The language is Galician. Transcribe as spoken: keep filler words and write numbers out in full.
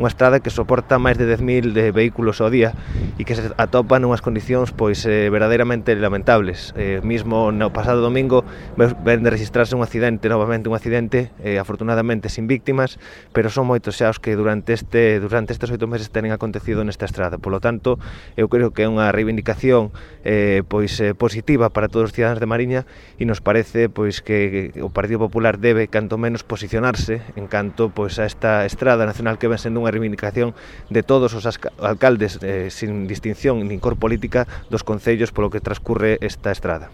unha estrada que soporta máis de dez mil de vehículos ao día e que se atopa nunhas condicións pois eh, verdadeiramente lamentables. Eh, mismo no pasado domingo ven de registrarse un accidente, novamente un accidente, eh, afortunadamente sin víctimas, pero son moitos xa os que durante este durante estes oito meses tenen acontecido nesta estrada. Polo tanto, eu creo que é unha reivindicación eh, pois eh, positiva para todos os cidadáns de Mariña e nos parece pois que o Partido Popular debe canto menos posicionarse en canto pois a esta estrada nacional que ven sendo unha reivindicación de todos os alcaldes eh, sin distinción nin cor política dos concellos polo que transcurre esta estrada.